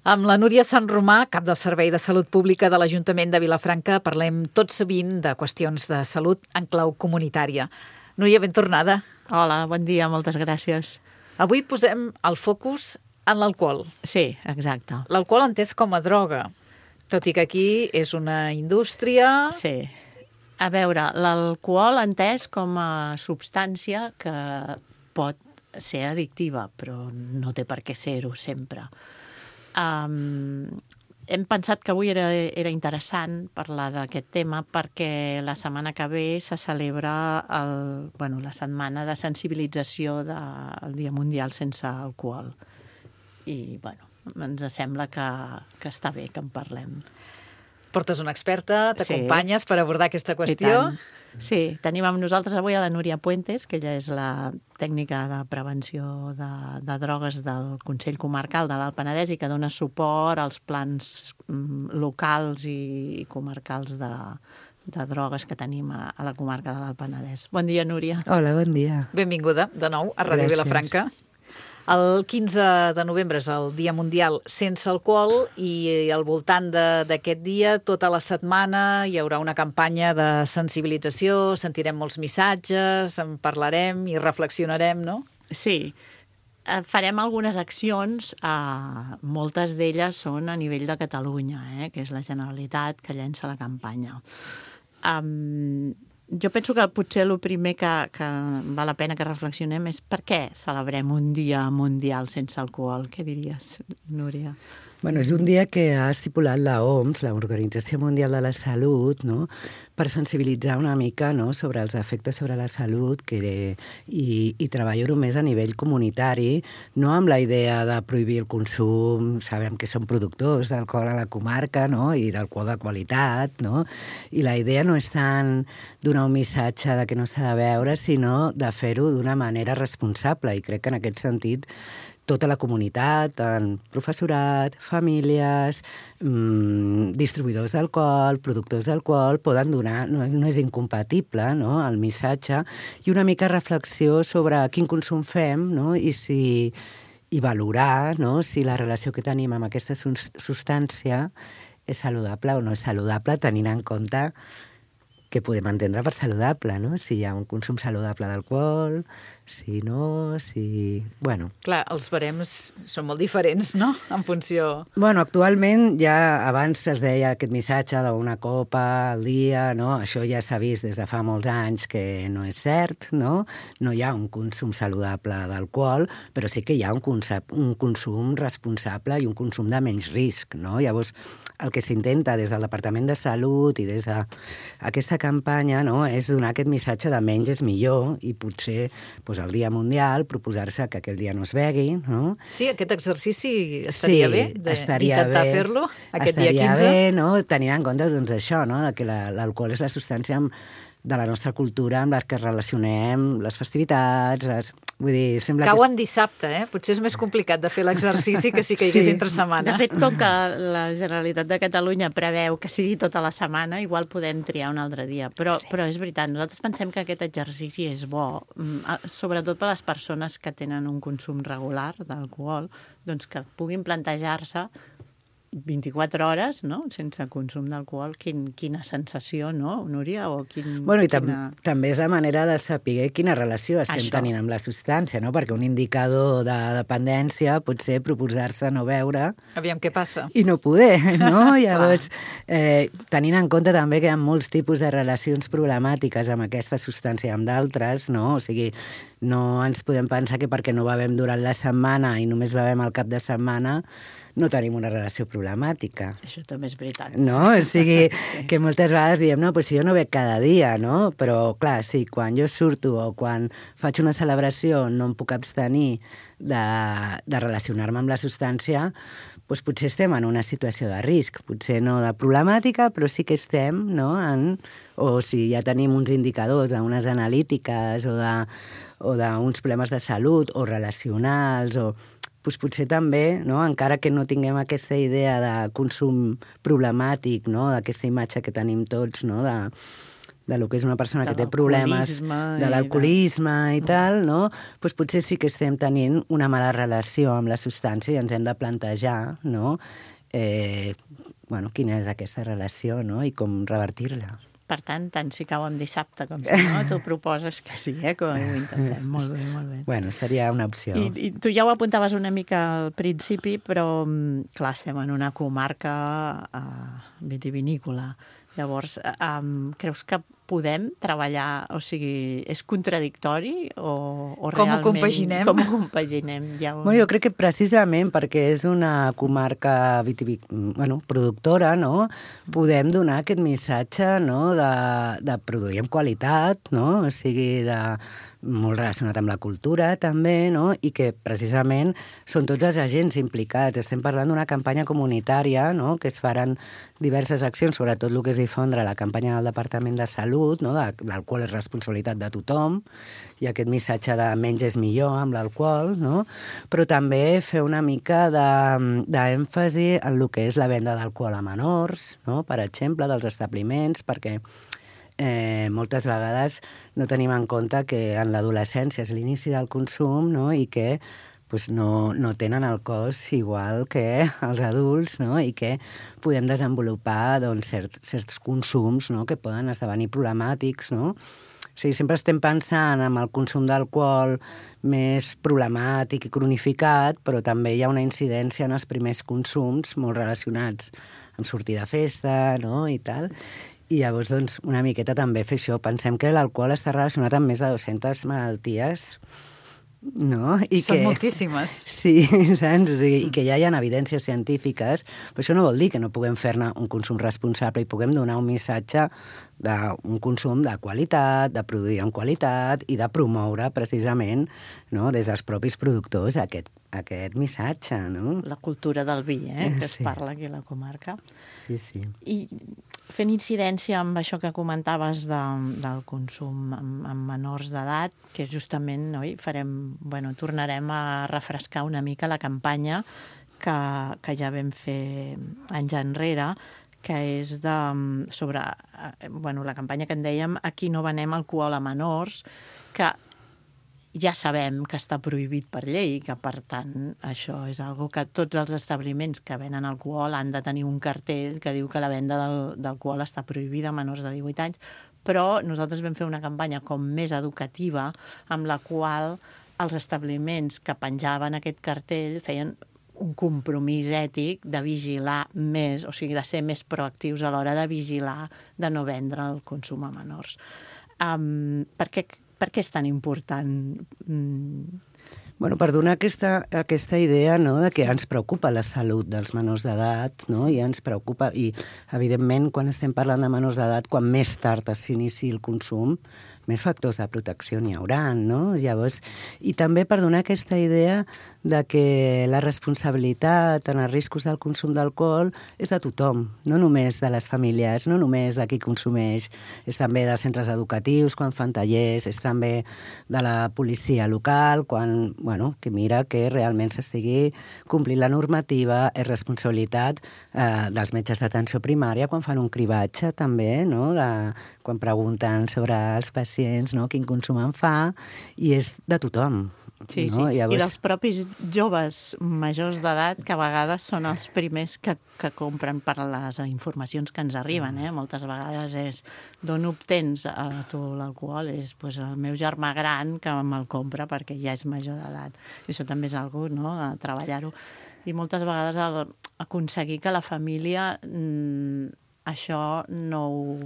Amb la Núria Sant Romà, cap del Servei de Salut Pública de l'Ajuntament de Vilafranca, parlem tot sovint de qüestions de salut en clau comunitària. Núria, ben tornada. Hola, bon dia, moltes gràcies. Avui posem el focus en l'alcohol. Sí, exacte. L'alcohol entès com a droga, tot i que aquí és una indústria... Sí. A veure, l'alcohol entès com a substància que pot ser addictiva, però no té per què ser-ho sempre. Hem pensat que avui era interessant parlar d'aquest tema perquè la setmana que ve se celebra la setmana de sensibilització del Dia Mundial sense alcohol. I, ens sembla que està bé que en parlem. Portes una experta, t'acompanyes per abordar aquesta qüestió. Sí, tenim amb nosaltres avui a la Núria Puentes, que ella és la tècnica de prevenció de drogues del Consell Comarcal de l'Alt Penedès i que dona suport als plans locals i comarcals de drogues que tenim a la comarca de l'Alt Penedès. Bon dia, Núria. Hola, bon dia. Benvinguda de nou a Ràdio Vilafranca. El 15 de novembre és el Dia Mundial sense alcohol i al voltant d'aquest dia, tota la setmana, hi haurà una campanya de sensibilització, sentirem molts missatges, en parlarem i reflexionarem, no? Sí, farem algunes accions, moltes d'elles són a nivell de Catalunya, que és la Generalitat que llença la campanya. Jo penso que potser el primer que val la pena que reflexionem és per què celebrem un dia mundial sense alcohol. Què diries, Núria? Bueno, és un dia que ha estipulat la OMS, l'Organització Mundial de la Salut, no?, per sensibilitzar una mica, no?, sobre els efectes sobre la salut i treballar-ho més a nivell comunitari, no amb la idea de prohibir el consum, sabem que som productors d'alcohol a la comarca, no?, i d'alcohol de qualitat, no?, i la idea no és tant donar un missatge de que no s'ha de beure, sinó de fer-ho d'una manera responsable, i crec que en aquest sentit tota la comunitat, tant professorat, famílies, distribuïdors d'alcohol, productors d'alcohol, poden donar, no és incompatible, no?, el missatge, i una mica reflexió sobre quin consum fem, no?, i valorar, no?, si la relació que tenim amb aquesta substància és saludable o no és saludable, tenint en compte que podem entendre per saludable, no? Si hi ha un consum saludable d'alcohol, si no, si... Bueno. Clar, els barems són molt diferents, no?, en funció... Bueno, actualment ja abans es deia aquest missatge d'una copa al dia, no? Això ja s'ha vist des de fa molts anys que no és cert, no? No hi ha un consum saludable d'alcohol, però sí que hi ha un consum responsable i un consum de menys risc, no? Llavors, el que s'intenta des del Departament de Salut i des d'aquesta campanya, no?, és donar aquest missatge de menys és millor i potser el Dia Mundial proposar-se que aquell dia no es begui, no? Sí, aquest exercici estaria bé d'intentar fer-lo aquest dia 15. Estaria bé, no?, tenint en compte doncs, això, no?, que l'alcohol és la substància de la nostra cultura amb la que relacionem les festivitats, vull dir, sembla Cau en dissabte, Potser és més complicat de fer l'exercici que si caigués entre setmana. De fet, com que la Generalitat de Catalunya preveu que sigui tota la setmana, igual podem triar un altre dia. Però és veritat, nosaltres pensem que aquest exercici és bo, sobretot per a les persones que tenen un consum regular d'alcohol, doncs que puguin plantejar-se 24 hores, no?, sense consum d'alcohol, quina sensació, no, Núria? Bueno, i també és la manera de saber quina relació estem tenint amb la substància, no?, perquè un indicador de dependència pot ser proposar-se no beure... Aviam què passa. I no poder, no? Llavors, tenint en compte també que hi ha molts tipus de relacions problemàtiques amb aquesta substància i amb d'altres, no? O sigui, no ens podem pensar que perquè no bevem durant la setmana i només bevem al cap de setmana no tenim una relació problemàtica. Això també és veritat. No? O sigui, que moltes vegades diem, no, si jo no bec cada dia, no? Però, clar, sí, quan jo surto o quan faig una celebració no em puc abstenir de relacionar-me amb la substància, doncs potser estem en una situació de risc. Potser no de problemàtica, però sí que estem, no?, o si ja tenim uns indicadors, unes analítiques o d'uns problemes de salut o relacionals o... Doncs potser també, no?, encara que no tinguem aquesta idea de consum problemàtic, no?, d'aquesta imatge que tenim tots, no?, de lo que és una persona De que té problemes de l'alcoholisme i tal, no? Doncs potser sí que estem tenint una mala relació amb la substància i ens hem de plantejar, no? Quina és aquesta relació, no? I com revertir-la. Per tant si cau en dissabte, com si no, tu proposes que sí, com ho intentem. Molt bé, molt bé. Bueno, seria una opció. I tu ja ho apuntaves una mica al principi, però, clar, estem en una comarca vitivinícola. Llavors, creus que podem treballar, o sigui, és contradictori o realment... Com ho compaginem? Com ho compaginem? Jo crec que precisament perquè és una comarca productora, no? Podem donar aquest missatge, no? de produir amb qualitat, no? O sigui, molt relacionat amb la cultura, també, no? I que precisament són tots els agents implicats. Estem parlant d'una campanya comunitària, no? Que es faran diverses accions, sobretot el que és difondre la campanya del Departament de Salut, no? L'alcohol és responsabilitat de tothom, i aquest missatge de menys és millor amb l'alcohol, no? Però també fer una mica d'èmfasi en el que és la venda d'alcohol a menors, no? Per exemple, dels establiments, perquè moltes vegades no tenim en compte que en l'adolescència és l'inici del consum, no? I que no tenen el cos igual que els adults, no? I que podem desenvolupar certs consums, no? Que poden esdevenir problemàtics, no? O sigui, sempre estem pensant en el consum d'alcohol més problemàtic i cronificat, però també hi ha una incidència en els primers consums molt relacionats amb sortir de festa, no? I tal. I llavors, doncs, una miqueta també fer això. Pensem que l'alcohol està relacionat amb més de 200 malalties, no? Són moltíssimes. Sí, saps? O sigui, i que ja hi ha evidències científiques, però això no vol dir que no puguem fer-ne un consum responsable i puguem donar un missatge d'un consum de qualitat, de produir amb qualitat i de promoure precisament, no? Des dels propis productors aquest missatge, no? La cultura del vi, que es parla aquí a la comarca. Sí, sí. I fent incidència amb això que comentaves del consum amb menors d'edat, que justament tornarem a refrescar una mica la campanya que ja vam fer anys enrere, que és sobre la campanya que en dèiem Aquí no venem alcohol a menors, que ja sabem que està prohibit per llei, que per tant això és algo que tots els establiments que venen alcohol han de tenir un cartell que diu que la venda d'alcohol està prohibida a menors de 18 anys, però nosaltres vam fer una campanya com més educativa amb la qual els establiments que penjaven aquest cartell feien un compromís ètic de vigilar més, o sigui, de ser més proactius a l'hora de vigilar, de no vendre el consum a menors. Per què és tan important? Per donar aquesta idea, no?, de que ens preocupa la salut dels menors d'edat, no?, i ens preocupa, i evidentment quan estem parlant de menors d'edat, quan més tard s'inici el consum, més factors de protecció n'hi haurà, no? Llavors, i també per donar aquesta idea de que la responsabilitat en els riscos del consum d'alcohol és de tothom, no només de les famílies, no només de qui consumeix, és també de centres educatius quan fan tallers, és també de la policia local quan, que mira que realment s'estigui complint la normativa, és responsabilitat dels metges d'atenció primària quan fan un cribatge també, no?, quan pregunten sobre els pacients, no?, quin consum en fa, i és de tothom. Sí, no? Sí. Llavors... I dels propis joves majors d'edat, que a vegades són els primers que compren per les informacions que ens arriben. Moltes vegades és d'on obtens a tu l'alcohol? És el meu germà gran que me'l compra perquè ja és major d'edat. I això també és algo, no?, de treballar-ho. I moltes vegades aconseguir que la família això no ho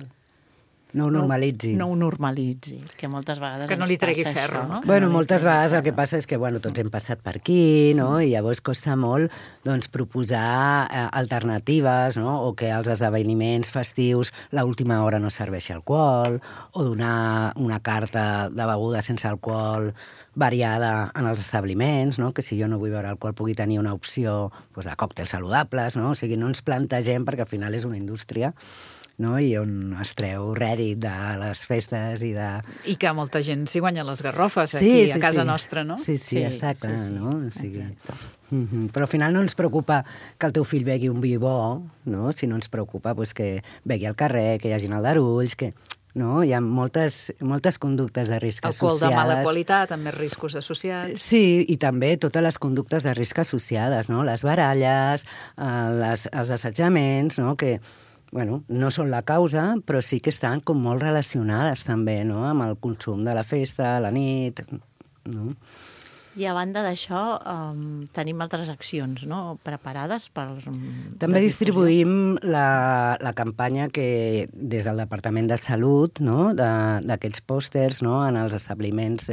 normalitzi. No ho normalitzi, que moltes vegades que no li tregui ferro, no? Moltes vegades el que passa és que, tots hem passat per aquí, no?, i llavors costa molt, proposar alternatives, no?, o que als esdeveniments festius l'última hora no serveixi alcohol, o donar una carta de beguda sense alcohol variada en els establiments, no?, que si jo no vull beure alcohol pugui tenir una opció de còctels saludables, no? O sigui, no ens plantegem, perquè al final és una indústria, no?, i on es treu rèdit de les festes i de... I que molta gent s'hi guanya les garrofes aquí a casa nostra, no? Sí, està clar, no? O sigui... Però al final no ens preocupa que el teu fill begui un vi bo, no?, sinó ens preocupa que begui al carrer, que hi hagin aldarulls, que no? Hi ha moltes conductes de risc associades. Alcohol de mala qualitat, amb més riscos associats. Sí, i també totes les conductes de risc associades, no? Les baralles, els assetjaments, no? Que bueno, no són la causa, però sí que estan com molt relacionades també, no? Amb el consum de la festa, la nit, no? I a banda d'això, tenim altres accions, no?, preparades per... També distribuïm la campanya que des del Departament de Salut, no?, d'aquests pòsters, no?, en els establiments,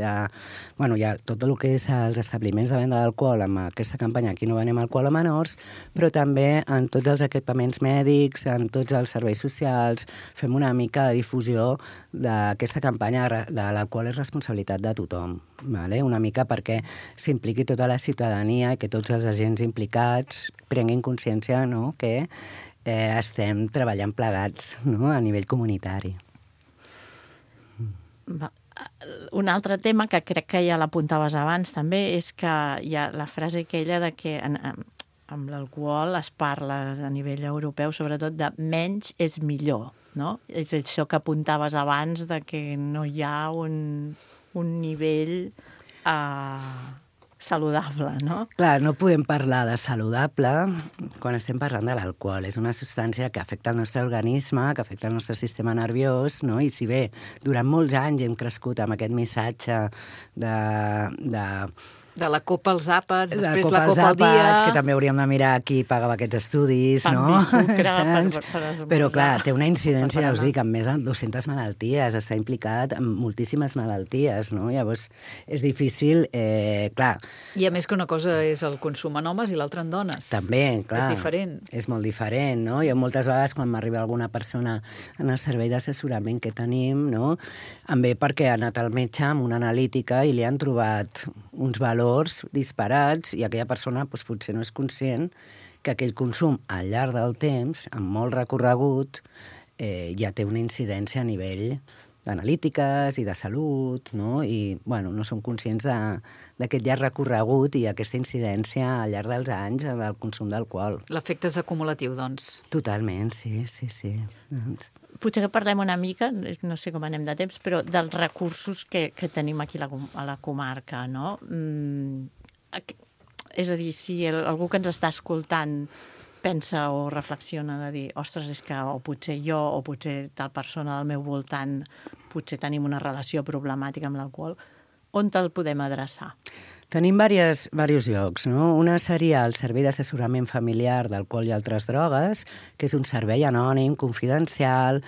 bueno, hi ha tot el que és els establiments de venda d'alcohol, amb aquesta campanya Aquí no venem alcohol a menors, però també en tots els equipaments mèdics, en tots els serveis socials, fem una mica de difusió d'aquesta campanya de l'alcohol és responsabilitat de tothom, vale? Una mica perquè s'impliqui tota la ciutadania i que tots els agents implicats prenguin consciència, no?, que estem treballant plegats, no?, a nivell comunitari. Un altre tema que crec que ja l'apuntaves abans també és que hi ha la frase aquella de que amb l'alcohol es parla a nivell europeu sobretot de menys és millor, no? És això que apuntaves abans de que no hi ha un nivell saludable, no? Clar, no podem parlar de saludable quan estem parlant de l'alcohol. És una substància que afecta el nostre organisme, que afecta el nostre sistema nerviós, no? I si bé durant molts anys hem crescut amb aquest missatge de la copa als àpats, després la copa al dia... que també hauríem de mirar qui pagava aquests estudis, no? Sucre, però clar, té una incidència, ja us dic, amb més de 200 malalties, està implicat en moltíssimes malalties, no? Llavors, és difícil, clar... I a més que una cosa és el consum en homes i l'altra en dones. També, clar. És diferent. És molt diferent, no? Jo moltes vegades, quan m'arriba alguna persona en el servei d'assessorament que tenim, no?, em ve perquè ha anat al metge amb una analítica i li han trobat uns valors disparats i aquella persona doncs, potser no és conscient que aquell consum al llarg del temps, amb molt recorregut, ja té una incidència a nivell d'analítiques i de salut, no? I bueno, no som conscients d'aquest llarg recorregut i aquesta incidència al llarg dels anys del consum d'alcohol. L'efecte és acumulatiu, doncs. Totalment, sí. Potser que parlem una mica, no sé com anem de temps, però dels recursos que tenim aquí a la comarca, no? És a dir, si algú que ens està escoltant pensa o reflexiona de dir, ostres, és que o potser jo o potser tal persona del meu voltant potser tenim una relació problemàtica amb l'alcohol, on te'l podem adreçar? Tenim diversos llocs, no? Una seria el Servei d'Assessorament Familiar d'Alcohol i Altres Drogues, que és un servei anònim, confidencial,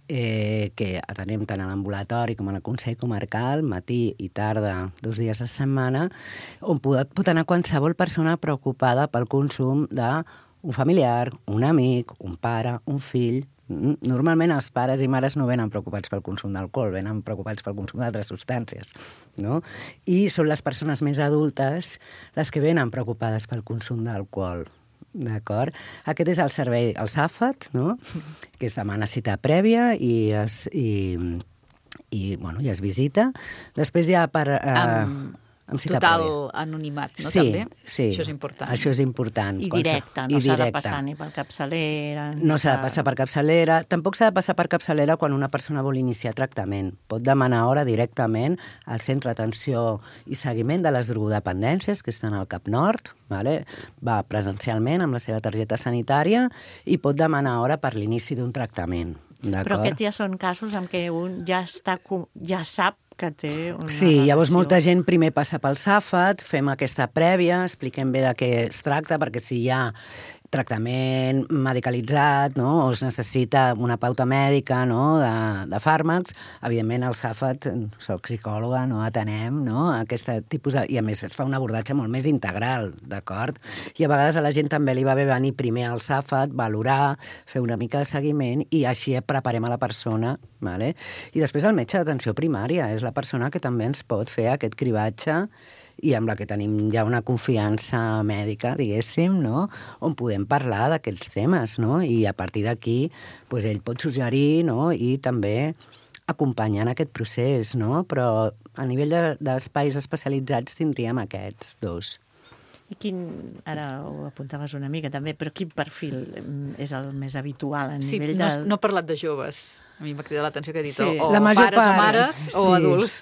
que atenem tant a l'ambulatori com al Consell Comarcal, matí i tarda, 2 dies a setmana, on pot anar qualsevol persona preocupada pel consum d'un familiar, un amic, un pare, un fill. Normalment els pares i mares no venen preocupats pel consum d'alcohol, venen preocupats pel consum d'altres substàncies, no? I són les persones més adultes les que venen preocupades pel consum d'alcohol, d'acord? Aquest és el servei, el SAFAT, no?, que es demana cita prèvia i es visita. Després hi ha amb total anonimat, no? Sí, també? Sí. Això és important. Això és important. I directe, no s'ha de passar ni per capçalera. No s'ha de passar per capçalera. Tampoc s'ha de passar per capçalera quan una persona vol iniciar tractament. Pot demanar hora directament al Centre d'Atenció i Seguiment de les Drogodependències, que estan al Cap Nord, vale? Va presencialment amb la seva targeta sanitària i pot demanar hora per l'inici d'un tractament. Però aquests ja són casos en què un ja sap que té una Sí, llavors relació. molta gent primer passa pel SAFAT, fem aquesta prèvia, expliquem bé de què es tracta, perquè si hi ha tractament medicalitzat, no?, o es necessita una pauta mèdica, no?, de fàrmacs, evidentment el SAFAT, soc psicòloga, no atenem, no?, aquest tipus i a més es fa un abordatge molt més integral, d'acord? I a vegades a la gent també li va bé venir primer al SAFAT, valorar, fer una mica de seguiment i així preparem a la persona, vale? I després el metge d'atenció primària és la persona que també ens pot fer aquest cribatge i amb la que tenim ja una confiança mèdica, diguéssim, no?, on podem parlar d'aquests temes, no?, i a partir d'aquí doncs ell pot suggerir, no?, i també acompanyar en aquest procés, no?, però a nivell d'espais especialitzats tindríem aquests dos. I ara ho apuntaves una mica també, però quin perfil és el més habitual a nivell de... No he parlat de joves, a mi m'ha cridat l'atenció que he dit, Sí, o la major pares o part, mares o sí. adults.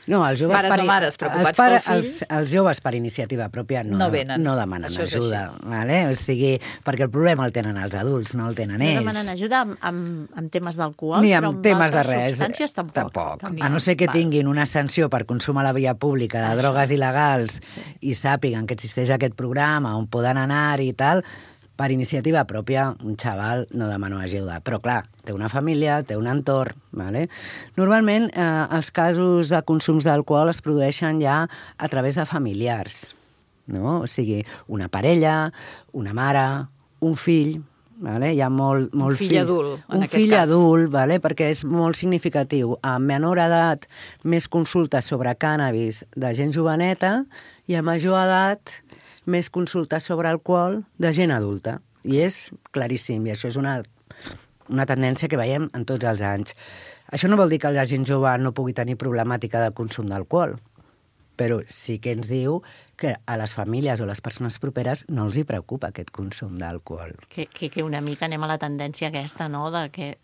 No, els joves Pares o mares preocupats pel fill. Els joves per iniciativa pròpia No venen. no demanen Això és ajuda, vale? O sigui, perquè el problema el tenen els adults, no el tenen No ells. demanen ajuda amb temes d'alcohol, Ni però amb temes de altres res. substàncies tampoc. A no ser que tinguin una sanció per consum a la via pública de drogues il·legals i sàpiguen que existeix aquest programa on poden anar-hi i tal, per iniciativa pròpia, un xaval no demana ajuda. Però, clar, té una família, té un entorn, ¿vale? Normalment, els casos de consums d'alcohol es produeixen ja a través de familiars, no? O sigui, una parella, una mare, un fill, ¿vale? Hi ha molt un fill adult, en aquest cas. Un fill adult, ¿vale? Perquè és molt significatiu. A menor edat, més consultes sobre cànnabis de gent joveneta i a major edat, més consultes sobre alcohol de gent adulta. I és claríssim, i això és una tendència que veiem en tots els anys. Això no vol dir que la gent jove no pugui tenir problemàtica de consum d'alcohol, però sí que ens diu que a les famílies o les persones properes no els hi preocupa aquest consum d'alcohol. Que una mica anem a la tendència aquesta, no?, de que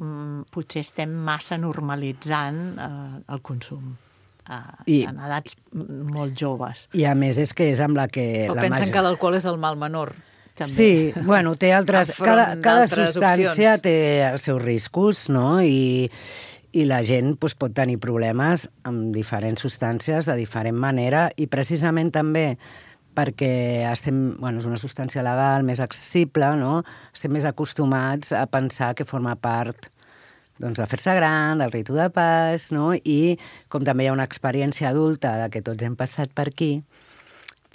potser estem massa normalitzant el consum. En edats molt joves. I a més és que és amb la que... O pensen que l'alcohol és el mal menor. També. Sí, bueno, té altres... Cada substància opcions. té els seus riscos, no? I la gent pot tenir problemes amb diferents substàncies de diferent manera i precisament també perquè és una substància legal, més accessible, no? Estem més acostumats a pensar que forma part de fer-se gran, del ritu de pas, no? I com també hi ha una experiència adulta de que tots hem passat per aquí,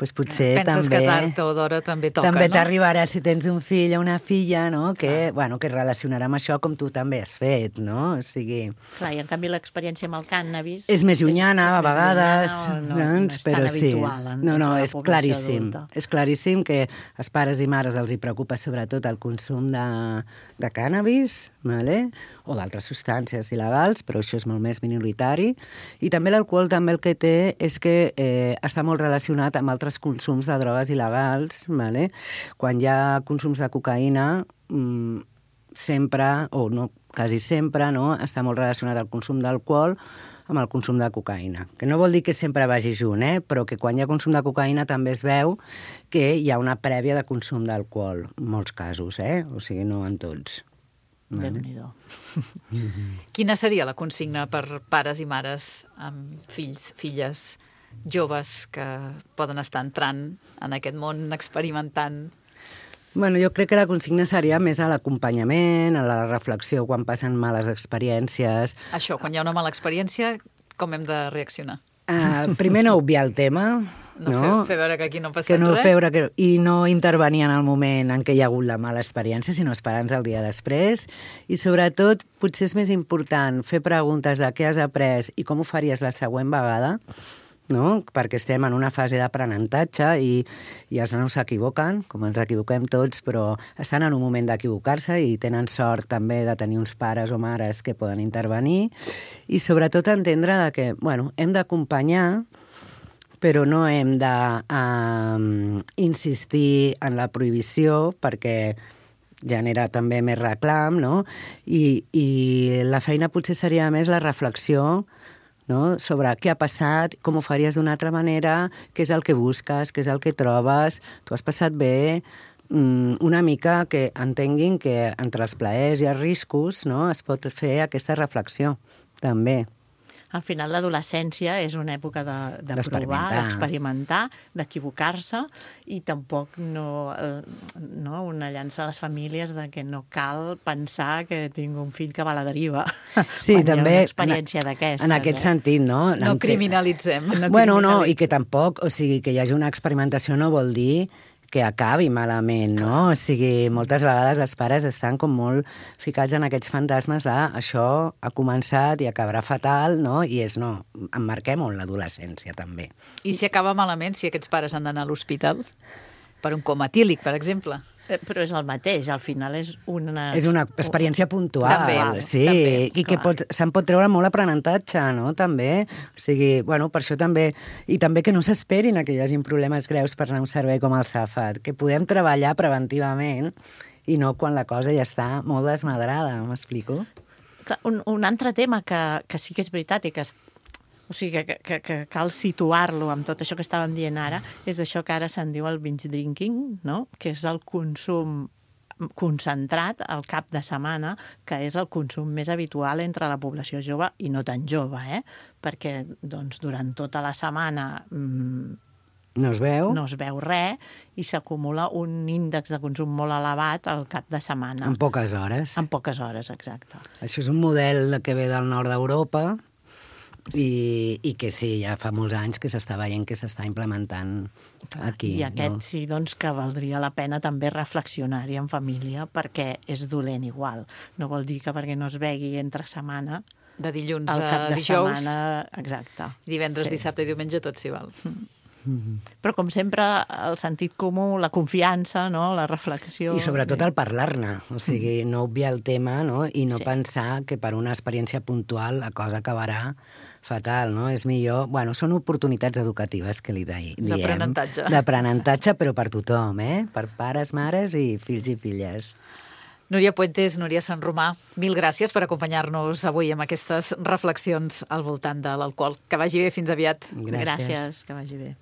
doncs potser penses també... que tard o d'hora també toca, també no? t'arribarà si tens un fill o una filla, no? Que es relacionarà amb això com tu també has fet, no? O sigui... Clar, i en canvi l'experiència amb el cànnabis... És més llunyana, a vegades, no és però tan sí. habitual en No, la és població claríssim. adulta. És claríssim que als pares i mares els hi preocupa sobretot el consum de cànnabis, vale? O d'altres substàncies il·legals, però això és molt més minoritari. I també l'alcohol també el que té és que està molt relacionat amb altres consums de drogues il·legals, vale? Quan hi ha consums de cocaïna, sempre, o no, quasi sempre, no? Està molt relacionat el consum d'alcohol amb el consum de cocaïna. Que no vol dir que sempre vagi junt, però que quan hi ha consum de cocaïna també es veu que hi ha una prèvia de consum d'alcohol, en molts casos, o sigui, no en tots. Déu-n'hi-do. Quina seria la consigna per pares i mares amb fills, filles, joves que poden estar entrant en aquest món experimentant? Bueno, jo crec que la consigna seria més a l'acompanyament, a la reflexió quan passen males experiències. Això, quan hi ha una mala experiència, com hem de reaccionar? Primer no obviar el tema, no? Fer veure que aquí no ha passat res. I no intervenir en el moment en què hi ha hagut la mala experiència, sinó esperar-nos el dia després. I sobretot, potser és més important fer preguntes de què has après i com ho faries la següent vegada, no? Perquè estem en una fase d'aprenentatge i els nanos s'equivoquen, com ens equivoquem tots, però estan en un moment d'equivocar-se i tenen sort també de tenir uns pares o mares que poden intervenir i sobretot entendre que hem d'acompanyar, però no hem d'insistir en la prohibició perquè genera també més reclam, no? I la feina potser seria més la reflexió, no? Sobre què ha passat, com ho faries d'una altra manera, què és el que busques, què és el que trobes, tu has passat bé, una mica que entenguin que entre els plaers i els riscos, no? Es pot fer aquesta reflexió, també. Al final l'adolescència és una època de provar, d'experimentar, d'equivocar-se i tampoc no una llança a les famílies de que no cal pensar que tinc un fill que va a la deriva. Sí, també hi ha una experiència d'aquesta. En aquest sentit, no? No criminalitzem. No, i que tampoc, o sigui, que hi hagi una experimentació no vol dir que acabi malament, no? O sigui, moltes vegades els pares estan com molt ficats en aquests fantasmes de això ha començat i acabarà fatal, no? I emmarquem-ho en l'adolescència, també. I si acaba malament, si aquests pares han d'anar a l'hospital? Per un coma etílic, per exemple? Però és el mateix, al final és una... És una experiència puntual, També, sí, també, i que se'n pot treure molt aprenentatge, no?, també. O sigui, bueno, per això també... I també que no s'esperin que hi hagin problemes greus per anar a un servei com el SAFAT, que podem treballar preventivament i no quan la cosa ja està molt desmadrada, m'explico? Un altre tema que sí que és veritat i que o sigui, que cal situar-lo amb tot això que estàvem dient ara, és això que ara se'n diu el binge drinking, no?, que és el consum concentrat al cap de setmana, que és el consum més habitual entre la població jove i no tan jove, perquè doncs, durant tota la setmana no es veu res i s'acumula un índex de consum molt elevat al cap de setmana. En poques hores. En poques hores, exacte. Això és un model que ve del nord d'Europa i que sí, ja fa molts anys que s'està veient que s'està implementant aquí. I aquest sí, doncs, que valdria la pena també reflexionar-hi en família perquè és dolent igual. No vol dir que perquè no es begui entre setmana de dilluns al cap a de dijous, setmana, exacte. divendres, dissabte i diumenge, tot s'hi val. Però, com sempre, el sentit comú, la confiança, no?, la reflexió... I sobretot el parlar-ne, o sigui, no obviar el tema, no?, i no pensar que per una experiència puntual la cosa acabarà fatal, no? És millor... Bueno, són oportunitats educatives que li diem. D'aprenentatge. D'aprenentatge, però per tothom, per pares, mares i fills i filles. Núria Puentes, Núria Sant Romà, mil gràcies per acompanyar-nos avui amb aquestes reflexions al voltant de l'alcohol. Que vagi bé, fins aviat. Gràcies, que vagi bé.